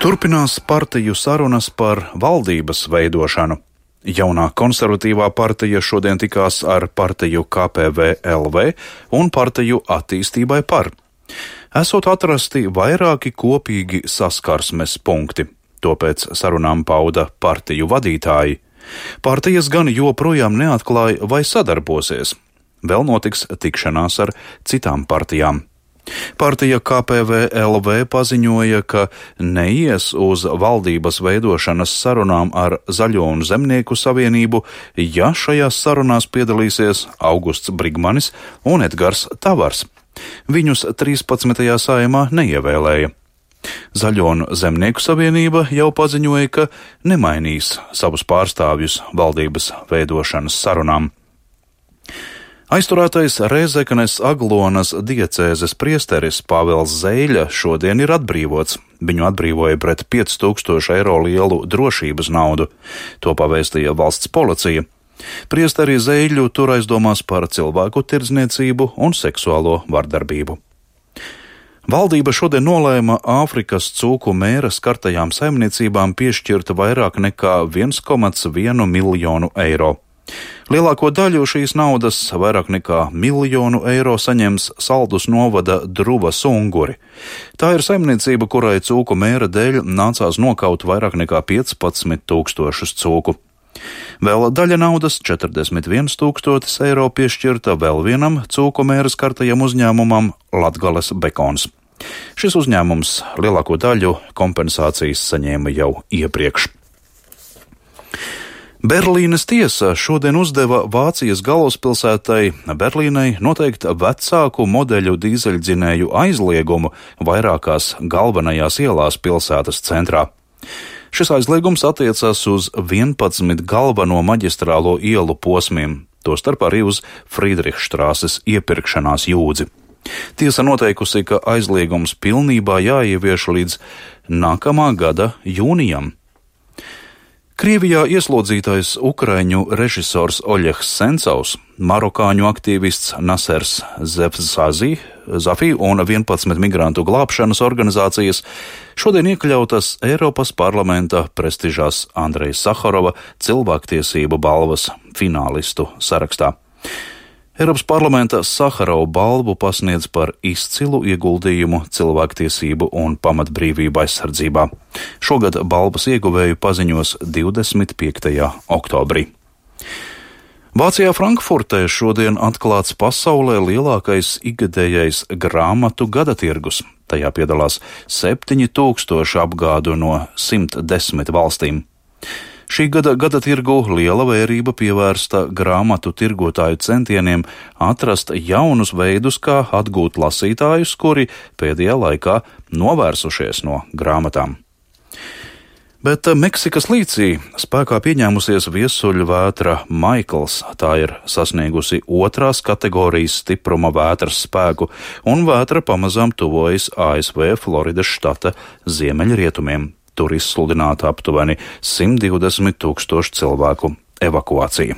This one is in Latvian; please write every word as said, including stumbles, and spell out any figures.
Turpinās partiju sarunas par valdības veidošanu. Jaunā konservatīvā partija šodien tikās ar partiju K P V L V un partiju Attīstībai par. Esot atrasti vairāki kopīgi saskarsmes punkti. To pēc sarunām pauda partiju vadītāji. Partijas gan joprojām neatklāja, vai sadarbosies. Vēl notiks tikšanās ar citām partijām. Partija K P V L V paziņoja, ka neies uz valdības veidošanas sarunām ar Zaļo un Zemnieku savienību, ja šajās sarunās piedalīsies Augusts Brigmanis un Edgars Tavars. Viņus trīspadsmitajā Saeimā neievēlēja. Zaļo un Zemnieku savienība jau paziņoja, ka nemainīs savus pārstāvjus valdības veidošanas sarunām. Aizturētais Rēzeknes Aglonas diecēzes priesteris Pāvils Zeļa šodien ir atbrīvots. Viņu atbrīvoja pret pieci tūkstoši eiro lielu drošības naudu. To pavēstīja valsts policija. Priesteri Zeļu tur aizdomās par cilvēku tirdzniecību un seksuālo vardarbību. Valdība šodien nolēma Āfrikas cūku mēra skartajām saimniecībām piešķirt vairāk nekā viens komats viens miljonu eiro. Lielāko daļu šīs naudas, vairāk nekā miljonu eiro, saņems Saldus novada Druvas unguri. Tā ir saimniecība, kurai cūku mēra dēļ nācās nokaut vairāk nekā piecpadsmit tūkstošus cūku. Vēl daļa naudas, četrdesmit viens tūkstotis eiro, piešķirta vēl vienam cūku mēra skartajam uzņēmumam Latgales Bekons. Šis uzņēmums lielāko daļu kompensācijas saņēma jau iepriekš. Berlīnes tiesa šodien uzdeva Vācijas galvaspilsētai Berlīnai noteikt vecāku modeļu dīzeļdzinēju aizliegumu vairākās galvenajās ielās pilsētas centrā. Šis aizliegums attiecas uz vienpadsmit galveno maģistrālo ielu posmiem, tostarp arī uz Friedrichstrāses iepirkšanās jūdzi. Tiesa noteikusi, ka aizliegums pilnībā jāievieš līdz nākamā gada jūnijam. Krievijā ieslodzītais ukraiņu režisors Oļegs Sencovs, marokāņu aktīvists Nasers Zafī un vienpadsmit migrantu glābšanas organizācijas šodien iekļautas Eiropas parlamenta prestižās Andreja Saharova cilvēktiesību balvas finālistu sarakstā. Eiropas parlamenta Saharova balvu pasniedz par izcilu ieguldījumu cilvēktiesību un pamatbrīvību aizsardzībā. Šogad balvas ieguvēju paziņos divdesmit piektajā oktobrī. Vācijā Frankfurtē šodien atklāts pasaulē lielākais ikgadējais grāmatu gadatirgus. Tajā piedalās septiņi tūkstoši apgādu no simt desmit valstīm. Šī gada gadatirgu liela vērība pievērsta grāmatu tirgotāju centieniem atrast jaunus veidus, kā atgūt lasītājus, kuri pēdējā laikā novērsušies no grāmatām. Bet Meksikas līcī spēkā pieņēmusies viesuļu vētra Maikls. Tā ir sasniegusi otrās kategorijas stipruma vētras spēku, un vētra pamazām tuvojas A S V Floridas štata ziemeļrietumiem. Tur izsludināta aptuveni simt divdesmit tūkstošu cilvēku evakuācija.